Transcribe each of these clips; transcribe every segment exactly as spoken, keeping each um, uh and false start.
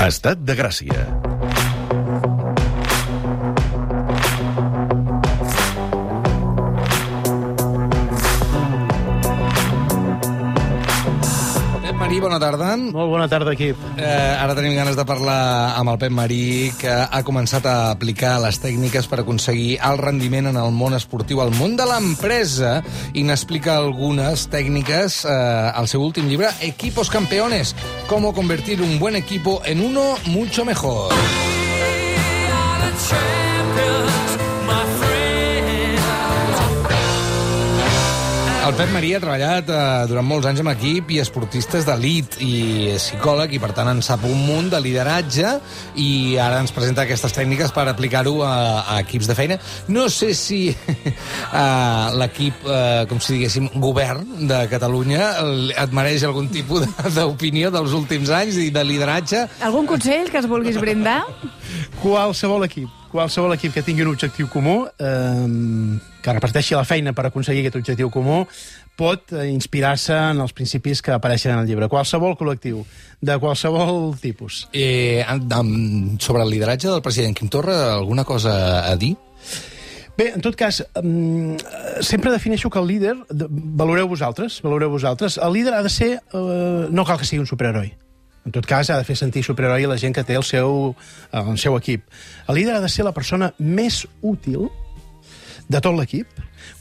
Estat de Gràcia. Marí, bona tarda. Molt bona tarda, equip. Eh, ara tenim ganes de parlar amb el Pep Marí, que ha començat a aplicar les tècniques per aconseguir el rendiment en el món esportiu, al món de l'empresa, i n'explica algunes tècniques eh, al seu últim llibre, Equipos Campeones, cómo convertir un buen equipo en uno mucho mejor. El Pep Marí ha treballat eh, durant molts anys amb equip i esportistes d'elit i és psicòleg i, per tant, en sap un munt de lideratge i ara ens presenta aquestes tècniques per aplicar-ho a, a equips de feina. No sé si eh, l'equip, eh, com si diguéssim, govern de Catalunya et mereix algun tipus d'opinió dels últims anys i de lideratge. Algun consell que es vulguis brindar? Qualsevol equip, qualsevol equip que tingui un objectiu comú, eh, que reparteixi la feina per aconseguir aquest objectiu comú, pot eh, inspirar-se en els principis que apareixen en el llibre. Qualsevol col·lectiu, de qualsevol tipus. Eh, amb, sobre el lideratge del president Quim Torra, alguna cosa a dir? Bé, en tot cas, um, sempre defineixo que el líder, de, valoreu vosaltres, valoreu vosaltres, el líder ha de ser, uh, no cal que sigui un superheroi. En tot cas, ha de fer sentir superheroi a la gent que té el seu, el seu equip. El líder ha de ser la persona més útil de tot l'equip,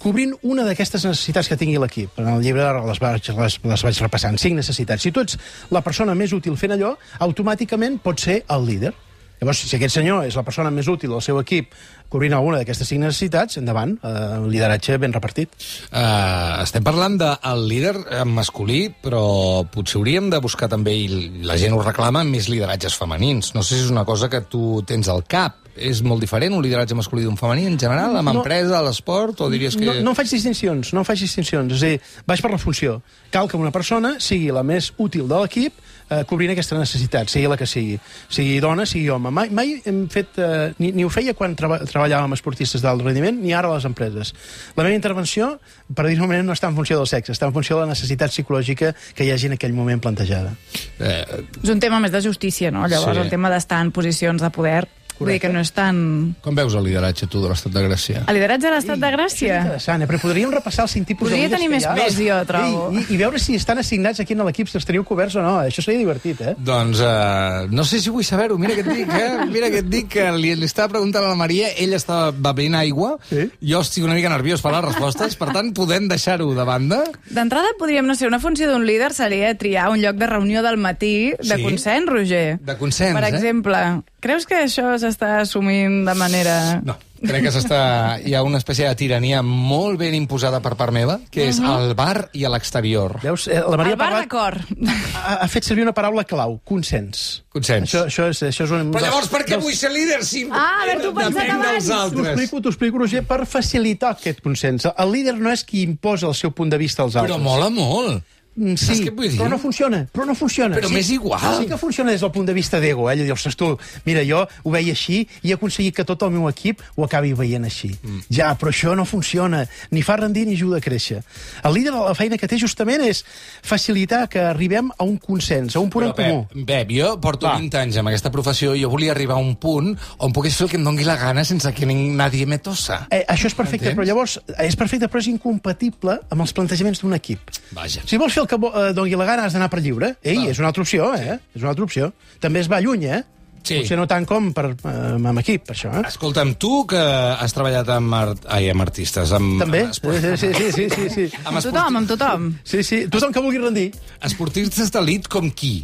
cobrint una d'aquestes necessitats que tingui l'equip. En el llibre les vaig, les, les vaig repassant, cinc necessitats. Si tu ets la persona més útil fent allò, automàticament pots ser el líder. Llavors, si aquest senyor és la persona més útil del seu equip cobrint alguna d'aquestes cinc necessitats, endavant, eh, un lideratge ben repartit. Uh, estem parlant del líder masculí, però potser hauríem de buscar també, i la gent ho reclama, més lideratges femenins. No sé si és una cosa que tu tens al cap. És molt diferent un lideratge masculí d'un femení en general, amb no, empresa, a l'esport, o diries que... No, no en faig distincions, no en faig distincions. És a dir, vaig per la funció. Cal que una persona sigui la més útil de l'equip eh, cobrint aquesta necessitat, sigui la que sigui. Sigui dona, sigui home. Mai, mai hem fet... Eh, ni, ni ho feia quan treba, treballàvem amb esportistes d'alt rendiment, ni ara a les empreses. La meva intervenció, per dir-ho moment, no està en funció del sexe, està en funció de la necessitat psicològica que hi hagi en aquell moment plantejada. Eh... És un tema més de justícia, no? Llavors, sí. El tema d'estar en posicions de poder... Vull dir que no és tan... Com veus el lideratge, tu, de l'Estat de Gràcia? El lideratge de l'Estat de Gràcia? És interessant, eh? Però podríem repassar els cinc tipus Podria de líders tenir més pes, jo, trobo. I, i, I veure si estan assignats aquí en l'equip, si els teniu coberts o no. Això seria divertit, eh? Doncs uh, no sé si vull saber-ho. Mira què et dic, eh? Mira què et dic, que li, li estava preguntant a la Maria, ella estava bevent aigua, sí? Jo estic una mica nerviós per les respostes, per tant, podem deixar-ho de banda? D'entrada, podríem, no sé, una funció d'un líder seria triar un lloc de reunió del matí de sí? consens, Roger. De consens, per eh? Per exemple... Creus que això s'està assumint de manera... No, crec que s'està... Hi ha una espècie de tirania molt ben imposada per part meva, que és uh-huh. al bar i a l'exterior. Veus? La Maria el bar parlat... d'acord. Ha, ha fet servir una paraula clau, consens. Consens. Això, això és, això és un... Però llavors per què dels... vull ser líder si... Ah, a veure, tu pensat abans. T'ho explico, t'ho explico, Roger, per facilitar aquest consens. El líder no és qui imposa el seu punt de vista als altres. Però mola molt. Sí, però no funciona, però no funciona. Però sí, m'és igual. Sí que funciona des del punt de vista d'ego, eh? Allò dius, tu, mira, jo ho veia així i he aconseguit que tot el meu equip ho acabi veient així. Mm. Ja, però això no funciona, ni fa rendir ni ajuda a créixer. El líder, la feina que té justament és facilitar que arribem a un consens, a un punt però, en comú. Pep, Pep, jo porto Va. vint anys amb aquesta professió i jo volia arribar a un punt on pogués fer el que em doni la gana sense que nadie me tossa. Eh, això és perfecte, Entens? Però llavors és perfecte, però és incompatible amb els plantejaments d'un equip. Vaja. Si vols fer el que eh, doni la gana, has d'anar per lliure. Ei, ah. és una altra opció, eh? Sí. És una altra opció. També es va lluny, eh? Sí. Potser no tant com per, eh, amb equip, per això. Eh? Escolta'm, tu que has treballat amb, art... Ai, amb artistes, amb... També? Amb esport... sí, sí, sí, sí, sí, sí. Amb tothom, amb tothom. Sí, sí, tothom que vulgui rendir. Esportistes d'elit com qui?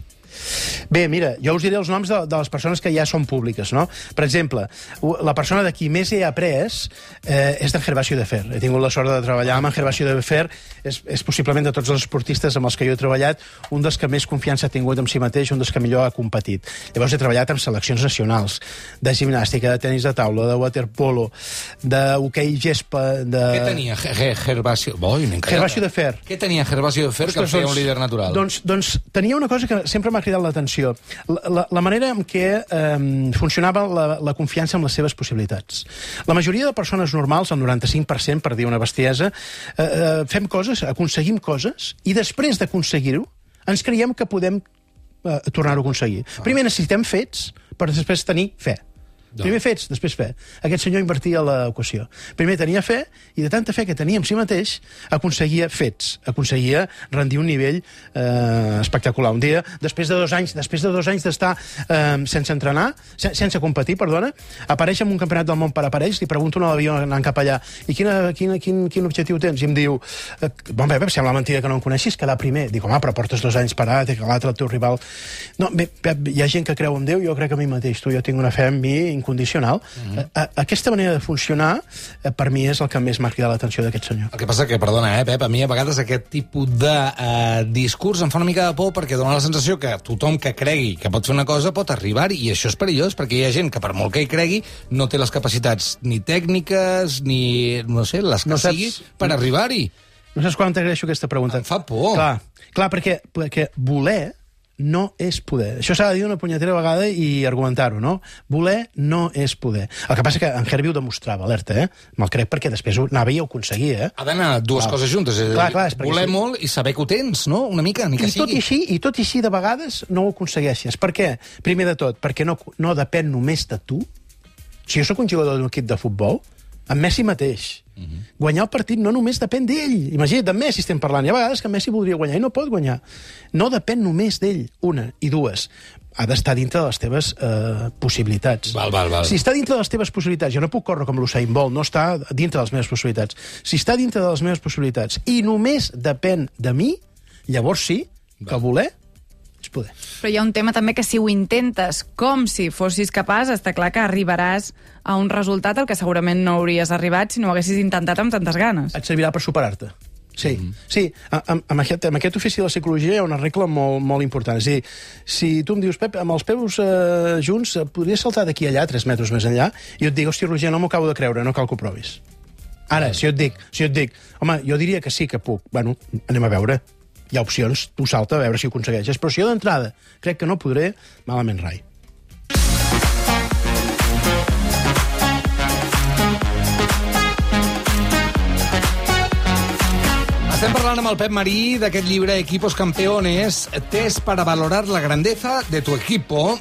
Bé, mira, jo us diré els noms de, de les persones que ja són públiques, no? Per exemple, la persona de qui més he après eh, és d'en Gervasio de Fer. He tingut la sort de treballar amb en Gervasio de Fer. És, és possiblement de tots els esportistes amb els que jo he treballat un dels que més confiança ha tingut en si mateix, un dels que millor ha competit. Llavors he treballat amb seleccions nacionals, de gimnàstica, de tenis de taula, de waterpolo, d'hoquei gespa... De... Què tenia Gervasio? Boi, Gervasio de Fer. Què tenia Gervasio de Fer que el feia un líder natural? Doncs, doncs tenia una cosa que sempre m'ha cridat l'atenció. La, la, la manera en què eh, funcionava la, la confiança en les seves possibilitats. La majoria de persones normals, el noranta-cinc per cent, per dir una bestiesa, eh, eh, fem coses, aconseguim coses, i després d'aconseguir-ho, ens creiem que podem eh, tornar-ho a aconseguir. Ah. Primer necessitem fets per després tenir fe. Primer fets, després fe. Aquest senyor invertia l'equació. Primer tenia fe, i de tanta fe que tenia en si mateix, aconseguia fets, aconseguia rendir un nivell eh, espectacular. Un dia, després de dos anys després de dos anys d'estar eh, sense entrenar, sen sense competir, perdona, apareix en un campionat del món per aparells, li pregunto a l'avió anant cap allà, i quina, quina, quin, quin objectiu tens? I em diu, eh, bon, bé, sembla mentida que no em coneixis, quedar primer. Dic, home, però portes dos anys parat, que l'altre, el teu rival... No, bé, Pep, hi ha gent que creu en Déu, jo crec a mi mateix, tu, jo tinc una fe en mi condicional. Uh-huh. a, a, aquesta manera de funcionar, eh, per mi, és el que més m'ha cridat l'atenció d'aquest senyor. El que passa que, perdona, eh, Pep, a mi a vegades aquest tipus de eh, discurs em fa una mica de por perquè dona la sensació que tothom que cregui que pot fer una cosa pot arribar-hi, i això és perillós, perquè hi ha gent que, per molt que hi cregui, no té les capacitats ni tècniques, ni, no sé, les que no sigui, saps... per arribar-hi. No saps quan t'agraeixo aquesta pregunta. Em fa por. Clar, clar perquè, perquè voler no és poder. Això s'ha de dir una punyetera vegada i argumentar-ho, no? Voler no és poder. El que passa que en Herbie ho demostrava, alerta, eh? Me'l crec perquè després ho anava i ho aconseguia, eh? Ha d'anar dues clar. coses juntes. És clar, clar, és voler sí. molt i saber que ho tens, no? Una mica, ni que I tot sigui. I així, i tot i així, de vegades, no ho aconsegueixes. Per què? Primer de tot, perquè no, no depèn només de tu. Si jo sóc un jugador d'un equip de futbol, en Messi mateix, uh-huh. guanyar el partit no només depèn d'ell. Imagina't, de Messi estem parlant. Hi ha vegades que Messi voldria guanyar i no pot guanyar. No depèn només d'ell, una. I dues, ha d'estar dintre de les teves eh, possibilitats. Val, val, val. Si està dintre de les teves possibilitats, jo no puc córrer com l'Usain Bolt, no està dintre de les meves possibilitats. Si està dintre de les meves possibilitats i només depèn de mi, llavors sí, val. que voler és poder. Però hi ha un tema també que si ho intentes com si fossis capaç, està clar que arribaràs a un resultat al que segurament no hauries arribat si no ho haguessis intentat amb tantes ganes. Et servirà per superar-te. Sí, mm -hmm. sí. Amb, amb, aquest, amb aquest ofici de la psicologia hi ha una regla molt, molt important. És a dir, si tu em dius, Pep, amb els peus eh, junts podries saltar d'aquí allà, tres metres més enllà, i jo et dic, hòstia, Roger, no m'ho acabo de creure, no cal que ho provis. Ara, si jo et dic, si jo et dic, home, jo diria que sí que puc, bueno, anem a veure. Hi ha opcions, tu salta a veure si ho aconsegueixes. Però si jo d'entrada crec que no podré, malament rai. Estem parlant amb el Pep Marí d'aquest llibre Equipos Campeones, test para valorar la grandeza de tu equipo.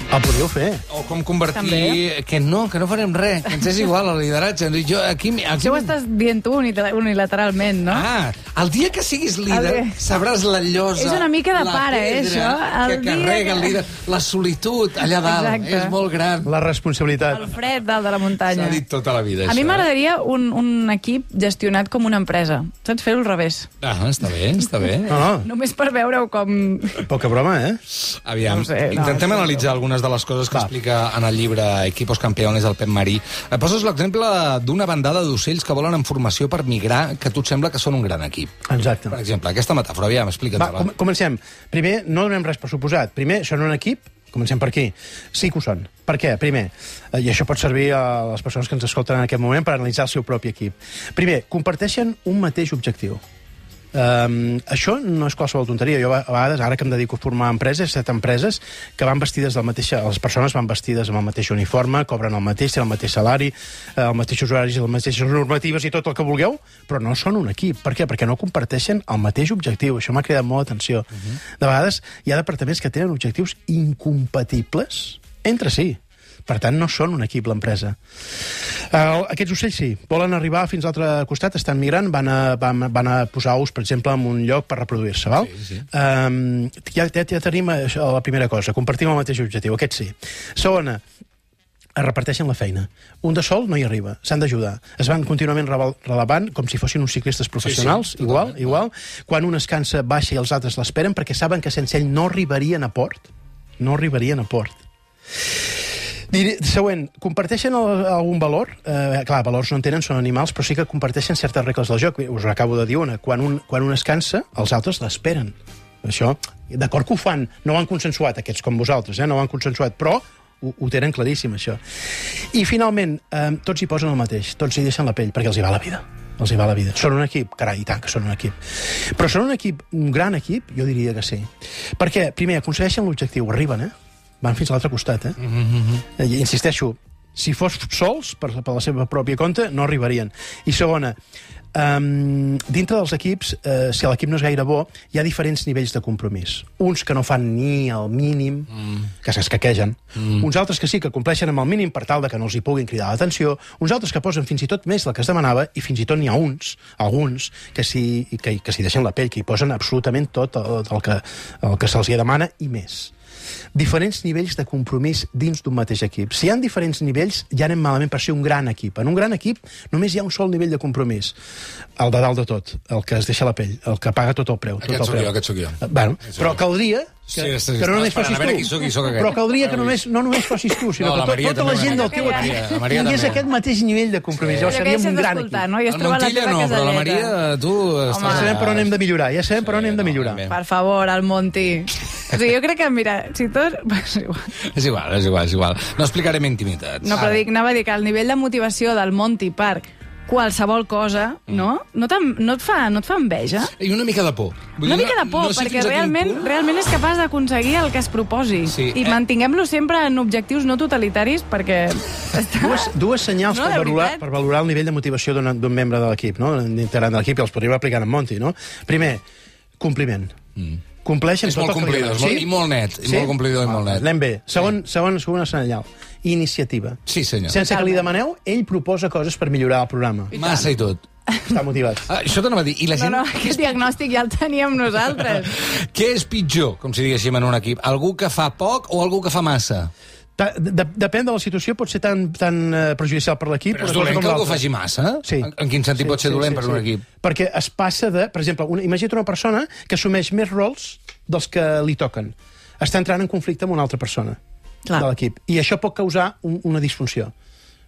El podríeu fer. O com convertir... També. Que no, que no farem res, que ens és igual el lideratge. Jo, aquí, aquí... Això ho estàs dient tu unilateralment, no? Ah, el dia que siguis líder el... sabràs la llosa, és una mica de la pare, eh, pedra això? El que carrega que... el líder, la solitud allà dalt. Exacte. És molt gran. La responsabilitat. El fred dalt de la muntanya. S'ha dit tota la vida, A això. mi m'agradaria un, un equip gestionat com una empresa. Saps? Fer-ho al revés. Ah, està bé, està bé. No, no. Només per veure-ho com... Poca broma, eh? Aviam, No sé, no, intentem no, no. analitzar algunes de les coses que Va. explica en el llibre Equipos Campeones del Pep Marí. Et poses l'exemple d'una bandada d'ocells que volen en formació per migrar, que a tu et sembla que són un gran equip. Exacte. Per exemple, aquesta metàfora, aviam, explica'ns-la. Va, com comencem. Primer, no donem res per suposat. Primer, són un equip, comencem per aquí. Sí que ho són. Per què? Primer, eh, i això pot servir a les persones que ens escolten en aquest moment per analitzar el seu propi equip. Primer, comparteixen un mateix objectiu. Um, això no és qualsevol tonteria. Jo a vegades, ara que em dedico a formar empreses, set empreses, que van vestides del mateix... Les persones van vestides amb el mateix uniforme, cobren el mateix, tenen el mateix salari, els mateixos horaris, les mateixes normatives i tot el que vulgueu, però no són un equip. Per què? Perquè no comparteixen el mateix objectiu. Això m'ha cridat molt atenció. Uh -huh. De vegades hi ha departaments que tenen objectius incompatibles entre si. Per tant, no són un equip, l'empresa. Uh, aquests ocells sí, volen arribar fins a l'altre costat, estan migrant, van a, van, van a posar ous, per exemple, en un lloc per reproduir-se, val? Sí, sí. Um, ja, ja, ja tenim això, la primera cosa, compartim el mateix objectiu, aquest sí. Segona, es reparteixen la feina. Un de sol no hi arriba, s'han d'ajudar. Es van contínuament relevant com si fossin uns ciclistes professionals, sí, sí, igual, igual. Quan un es cansa, baixa i els altres l'esperen perquè saben que sense ell no arribarien a port. No arribarien a port. Diré, següent, comparteixen el, algun valor? Eh, clar, valors no en tenen, són animals, però sí que comparteixen certes regles del joc. Us acabo de dir una. Quan un, quan un es cansa, els altres l'esperen. Això, d'acord que ho fan, no ho han consensuat, aquests com vosaltres, eh? No ho han consensuat, però ho, ho tenen claríssim, això. I, finalment, eh, tots hi posen el mateix, tots hi deixen la pell, perquè els hi va la vida. Els hi va la vida. Són un equip? Carai, i tant que són un equip. Però són un equip, un gran equip? Jo diria que sí. Perquè, primer, aconsegueixen l'objectiu, arriben, eh? Van fins a l'altre costat, eh? Mm-hmm. I insisteixo, Si fos sols, per, per la seva pròpia compte, no arribarien. I segona, Um, dintre dels equips, uh, si l'equip no és gaire bo, hi ha diferents nivells de compromís. Uns que no fan ni el mínim, mm. que s'escaquegen. Mm. Uns altres que sí, que compleixen amb el mínim per tal de que no els hi puguin cridar l'atenció. Uns altres que posen fins i tot més del que es demanava, i fins i tot n'hi ha uns, alguns, que s'hi que, que deixen la pell, que hi posen absolutament tot el, el que, el que se'ls hi demana i més. Diferents nivells de compromís dins d'un mateix equip. Si hi ha diferents nivells, ja anem malament per ser un gran equip. En un gran equip només hi ha un sol nivell de compromís. El de dalt de tot, el que es deixa la pell, el que paga tot el preu. Tot aquest el sóc preu. jo, aquest sóc jo. Bueno, però caldria que, sí, sí, que no només fossis qui tu. soc, qui soc Però caldria que només, no només fossis tu, sinó no, que tot, tota la gent del teu Maria, equip la tingués aquest mateix nivell de compromís. Sí. Llavors seríem un gran equip. No? El Montilla no, però la Maria, tu... Home, ja sabem per on hem de millorar, ja sabem per on hem de millorar. Per favor, el Monti. O sigui, jo crec que, mira, si tot... És igual, és igual, és igual. No explicarem intimitats. No, però dic, anava a dir que el nivell de motivació del Monty Park, qualsevol cosa, no? No, no, et fa, no et fa enveja? I una mica de por. Vull una dir, mica de por, no sé perquè realment, realment és capaç d'aconseguir el que es proposi. Sí, I eh? mantinguem-lo sempre en objectius no totalitaris, perquè... Està... Dues, dues senyals no, per, valorar, veritat. per valorar el nivell de motivació d'un membre de l'equip, no? D'integrant de l'equip, i els podríem aplicar en Monty, no? Primer, compliment. Mm. Compleixen és tot molt el que li complidor, demana. sí? I molt net, i sí? molt complidor i molt net. Anem bé. Segon, sí. segon, segona senyal. Iniciativa. Sí, senyor. Sense que li demaneu, ell proposa coses per millorar el programa. Massa i tot. Està motivat. Ah, això t'anava a dir. I la gent... No, no, aquest diagnòstic ja el teníem nosaltres. Què és pitjor, com si diguéssim, en un equip? Algú que fa poc o algú que fa massa? De, depèn de la situació, pot ser tan, tan uh, perjudicial per l'equip... Però és dolent que algú faci massa? Sí. En, en quin sentit sí, pot ser sí, dolent sí, per sí. un equip? Perquè es passa de... Per exemple, una, imagina't una persona que assumeix més rols dels que li toquen. Està entrant en conflicte amb una altra persona Clar. de l'equip. I això pot causar un, una disfunció.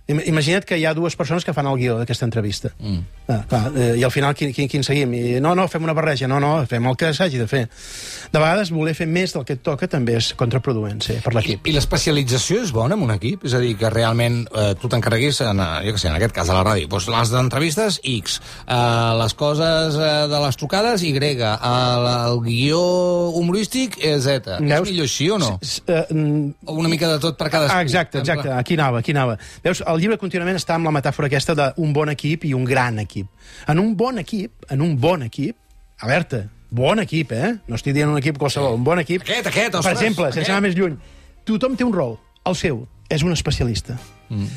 Imagina't que hi ha dues persones que fan el guió d'aquesta entrevista. Mm. Ah, clar, eh, I al final, quin, quin, quin seguim? I, no, no, fem una barreja. No, no, fem el que s'hagi de fer. De vegades, voler fer més del que et toca també és contraproduent, sí, per l'equip. I, I l'especialització és bona en un equip? És a dir, que realment eh, tu t'encarreguis, en, jo què sé, en aquest cas a la ràdio, doncs les d'entrevistes, X, eh, les coses eh, de les trucades, Y, eh, el guió humorístic, eh, Z. Veus? És millor així o no? S -s uh, o una mica de tot per cadascú? Ah, exacte, exacte. Aquí anava, aquí anava. Veus, el llibre contínuament està amb la metàfora aquesta d'un bon equip i un gran equip. En un bon equip, en un bon equip, alerta, bon equip, eh? No estic dient un equip qualsevol, un bon equip. Aquest, aquest, ostres. Per exemple, aquest. sense anar més lluny, tothom té un rol, el seu, és un especialista. Mm.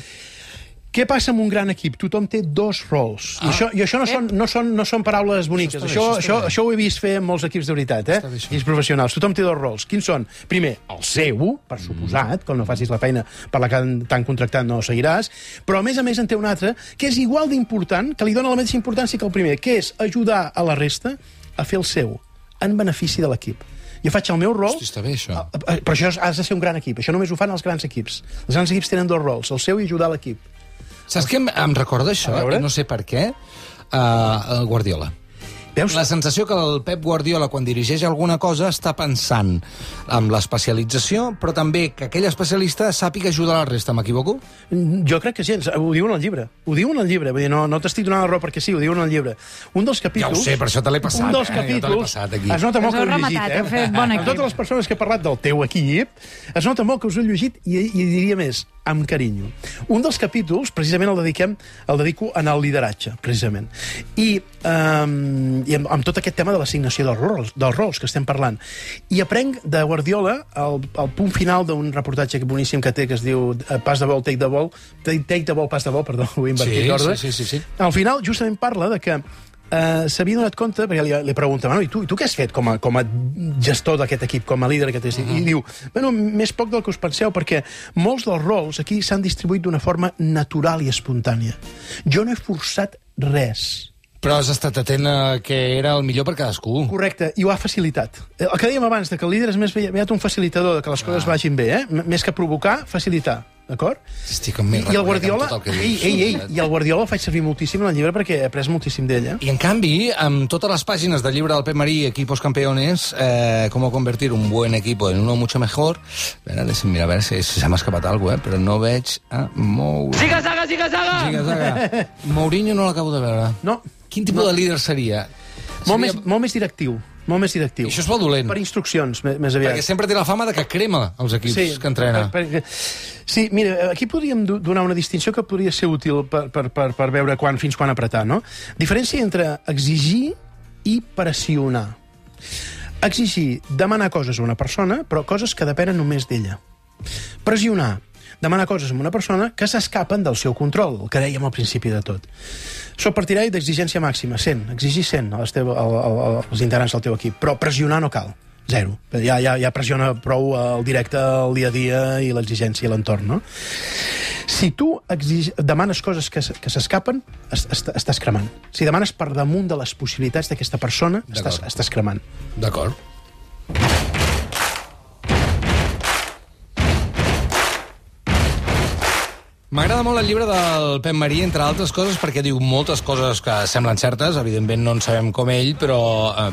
Què passa amb un gran equip? Tothom té dos rols. Ah. I això, i això no, són, no, són, no són paraules boniques. Això, això, això, això, això ho he vist fer en molts equips de veritat, eh? I els professionals. Tothom té dos rols. Quins són? Primer, el seu, per suposat, com no facis la feina per la que t'han contractat no seguiràs, però a més a més en té un altre que és igual d'important, que li dona la mateixa importància que el primer, que és ajudar a la resta a fer el seu, en benefici de l'equip. Jo faig el meu rol... Hosti, està bé, això. Però això has de ser un gran equip. Això només ho fan els grans equips. Els grans equips tenen dos rols, el seu i ajudar l'equip. Saps què em, em recorda això? No sé per què. Uh, el Guardiola. Veus? La sensació que el Pep Guardiola, quan dirigeix alguna cosa, està pensant en l'especialització, però també que aquell especialista sàpiga ajudar la resta. M'equivoco? Jo crec que sí, ho diuen al llibre. Ho diuen al llibre, vull dir, no, no t'estic donant la raó perquè sí, ho diuen al llibre. Un dels capítols... Ja ho sé, per això te l'he passat, un dels eh? capítols, Ja te es nota molt que ho he llegit, rematat, eh? Fet bon Amb totes les persones que he parlat del teu equip, es nota molt que us ho he llegit i, i diria més, amb carinyo. Un dels capítols, precisament el dediquem, el dedico en el lideratge, precisament. I, um, i amb, amb tot aquest tema de l'assignació dels rols, dels rols que estem parlant. I aprenc de Guardiola el, el punt final d'un reportatge boníssim que té, que es diu Pas de vol, take the ball, take the ball, pas de vol, perdó, ho he invertit d'ordre. Sí, sí, sí, sí. Al final, justament parla de que Uh, s'havia donat compte, perquè li, li pregunta, bueno, i tu, i tu què has fet com a, com a gestor d'aquest equip, com a líder d'aquest equip? Uh-huh. I diu, bueno, més poc del que us penseu, perquè molts dels rols aquí s'han distribuït d'una forma natural i espontània. Jo no he forçat res. Però has estat atent a que era el millor per cadascú. Correcte, i ho ha facilitat. El que dèiem abans, de que el líder és més aviat un facilitador, de que les ah. coses vagin bé, eh? M més que provocar, facilitar. D'acord? Estic amb més I el Guardiola, tot el que ei, ei, ei, i el Guardiola el faig servir moltíssim en el llibre perquè he après moltíssim d'ell. Eh? I en canvi, amb totes les pàgines del llibre del Pep Marí, Equipos Campeones, eh, cómo convertir un buen equipo en uno mucho mejor, mira, mira a veure si, si se m'ha escapat alguna cosa, eh? Però no veig a Mourinho. Siga, saga, siga, saga! Siga, saga. Mourinho no l'acabo de veure. No. Quin tipus no. de líder seria? Molt, seria... més, molt més directiu. molt més directiu. I això és molt dolent. Per instruccions, més, més aviat. Perquè sempre té la fama de que crema els equips sí, que entrena. Per, per, sí, mira, aquí podríem donar una distinció que podria ser útil per, per, per, per veure quan, fins quan apretar, no? Diferència entre exigir i pressionar. Exigir, demanar coses a una persona, però coses que depenen només d'ella. Pressionar, demanar coses a una persona que s'escapen del seu control, el que dèiem al principi de tot. Soc partidari d'exigència màxima, cent, exigir cent als, teu, al, al, als integrants del teu equip, però pressionar no cal, zero. Ja, ja, ja pressiona prou el directe, el dia a dia i l'exigència i l'entorn, no? Si tu exig... demanes coses que, que s'escapen, est est estàs cremant. Si demanes per damunt de les possibilitats d'aquesta persona, estàs, estàs cremant. D'acord. M'agrada molt el llibre del Pep Marí, entre altres coses, perquè diu moltes coses que semblen certes, evidentment no en sabem com ell, però eh,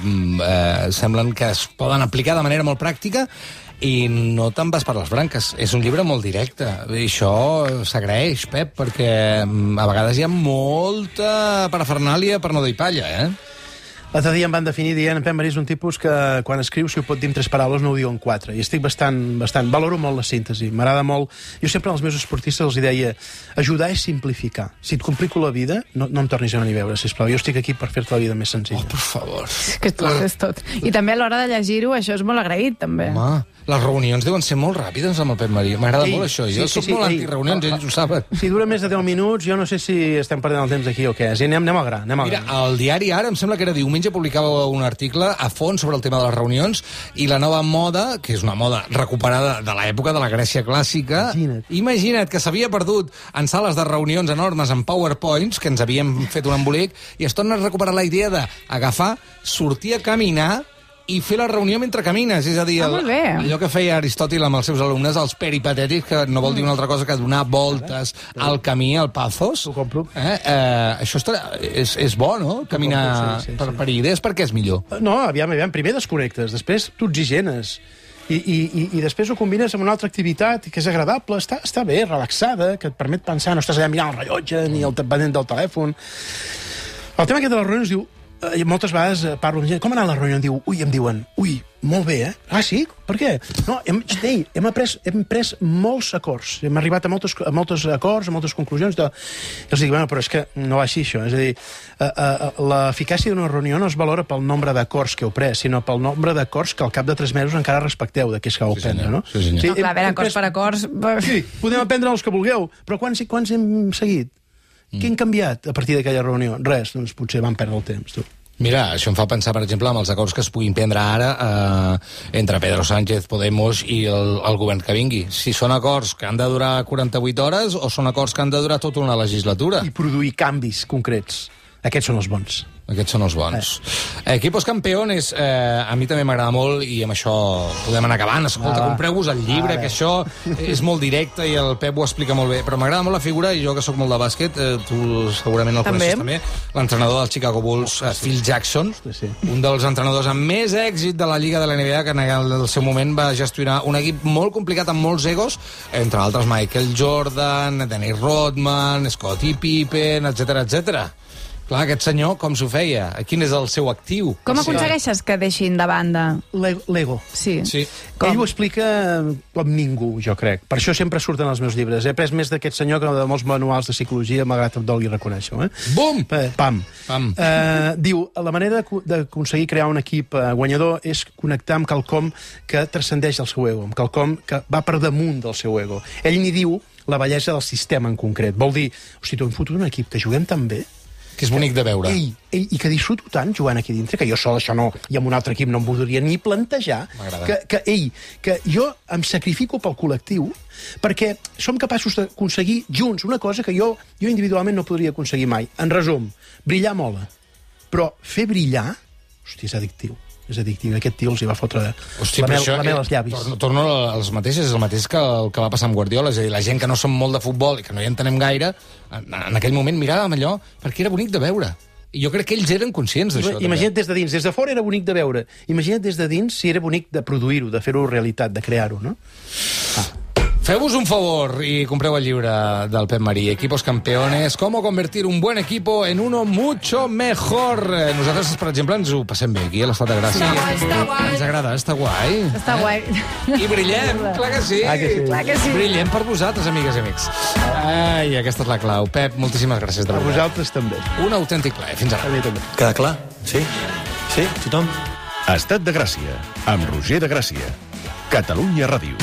eh, semblen que es poden aplicar de manera molt pràctica i no te'n vas per les branques. És un llibre molt directe. I això s'agraeix, Pep, perquè a vegades hi ha molta parafernàlia per no dir palla, eh? L'altre dia em van definir dient en Pep Marí és un tipus que quan escriu, si ho pot dir en tres paraules, no ho diu en quatre. I estic bastant... bastant valoro molt la síntesi. M'agrada molt... Jo sempre als meus esportistes els deia ajudar és simplificar. Si et complico la vida, no, no em tornis a venir a veure, sisplau. Jo estic aquí per fer-te la vida més senzilla. Oh, per favor. Que tu és tot. I també a l'hora de llegir-ho, això és molt agraït, també. Home, les reunions deuen ser molt ràpides amb el Pep Marí. M'agrada molt això. Jo sí, soc sí, sí, molt antireunions, ells ho saben. Si dura més de deu minuts, jo no sé si estem perdent el temps aquí o què. Sí, anem, anem al gra. Anem al gra. Mira, el diari Ara, em sembla que era diumenge, publicava un article a fons sobre el tema de les reunions i la nova moda, que és una moda recuperada de l'època de la Grècia clàssica. Imagina't, Imagina't que s'havia perdut en sales de reunions enormes amb PowerPoints, que ens havíem fet un embolic, i es torna a recuperar la idea d'agafar, sortir a caminar i fer la reunió mentre camines, és a dir, el, ah, allò que feia Aristòtil amb els seus alumnes, els peripatètics, que no vol dir una altra cosa que donar voltes al camí, al pathos. Ho compro. Eh? Eh, això està, és, és bo, no?, caminar sí, sí, sí. Per, per idees, perquè és millor. No, aviam, aviam, primer desconnectes, després tu oxigenes, i, i, i, i després ho combines amb una altra activitat que és agradable, està, està bé, relaxada, que et permet pensar, no estàs allà mirant el rellotge ni el pendent del telèfon. El tema aquest de les reunions diu, eh, moltes vegades parlo amb gent, com ha anat la reunió? Em diu, ui, em diuen, ui, molt bé, eh? Ah, sí? Per què? No, hem, ei, hem, après, hem pres molts acords, hem arribat a moltes, a moltes acords, a moltes conclusions, de... i els dic, bueno, però és que no va així, això. És a dir, uh, uh, l'eficàcia d'una reunió no es valora pel nombre d'acords que heu pres, sinó pel nombre d'acords que al cap de tres mesos encara respecteu d'aquells que heu sí, prendre, no? Sí, senyor. Sí, no, clar, a veure, acords per acords... Sí, podem aprendre els que vulgueu, però quants, quants hem seguit? Què han canviat a partir d'aquella reunió? Res, doncs potser van perdre el temps, tu. Mira, això em fa pensar, per exemple, en els acords que es puguin prendre ara eh, entre Pedro Sánchez, Podemos i el, el govern que vingui. Si són acords que han de durar quaranta-vuit hores o són acords que han de durar tota una legislatura. I produir canvis concrets. Aquests són els bons. Aquests són els bons. Eh. Equipos Campeones, eh, a mi també m'agrada molt i amb això podem anar acabant. Escolta, ah, compreu-vos el llibre, ah, que això és molt directe i el Pep ho explica molt bé. Però m'agrada molt la figura, i jo que sóc molt de bàsquet, eh, tu segurament el coneixes també, l'entrenador del Chicago Bulls, eh, Phil Jackson, sí. un dels entrenadors amb més èxit de la Lliga de la N B A, que en el seu moment va gestionar un equip molt complicat amb molts egos, entre altres Michael Jordan, Dennis Rodman, Scottie Pippen, etcètera, etcètera. Clar, aquest senyor, com s'ho feia? Quin és el seu actiu? Com aconsegueixes que deixin de banda? L'ego. Sí. sí. Ell ho explica com ningú, jo crec. Per això sempre surten els meus llibres. He après més d'aquest senyor que de molts manuals de psicologia, malgrat que em dolgui reconèixer-ho. Eh? Bum! Pam! Pam. Uh, diu, la manera d'aconseguir crear un equip uh, guanyador és connectar amb quelcom que transcendeix el seu ego, amb quelcom que va per damunt del seu ego. Ell n'hi diu la bellesa del sistema en concret. Vol dir, hosti, tu hem fotut un equip que juguem tan bé, que és bonic de veure. Ei, ei, i que disfruto tant jugant aquí dintre, que jo sol això no, i amb un altre equip no em voldria ni plantejar, que, que, ei, que jo em sacrifico pel col·lectiu perquè som capaços d'aconseguir junts una cosa que jo, jo individualment no podria aconseguir mai. En resum, brillar mola, però fer brillar, hosti, és addictiu. És addictiu. Aquest tio els hi va fotre Hosti, la mel, això, la mel als llavis. Torno, torno als mateixos, és el mateix que el que va passar amb Guardiola. És a dir, la gent que no som molt de futbol i que no hi entenem gaire, en, en aquell moment miràvem allò perquè era bonic de veure. I jo crec que ells eren conscients d'això. Imagina't des de dins. Des de fora era bonic de veure. Imagina't des de dins si era bonic de produir-ho, de fer-ho realitat, de crear-ho, no? Ah. Feu-vos un favor i compreu el llibre del Pep Marí, Equipos Campeones, cómo convertir un buen equipo en uno mucho mejor. Nosaltres, per exemple, ens ho passem bé aquí a l'Estat de Gràcia. Sí. Ens agrada, està guai. Està eh? guai. I brillem, clar que sí. Ah, que sí. Clar que sí. Brillem per vosaltres, amigues i amics. Ai, aquesta és la clau. Pep, moltíssimes gràcies. De A veritat. vosaltres també. Un autèntic plaer. Fins ara. A mi també. Queda clar? Sí? Sí? Tothom? Estat de Gràcia, amb Roger de Gràcia. Catalunya Ràdio.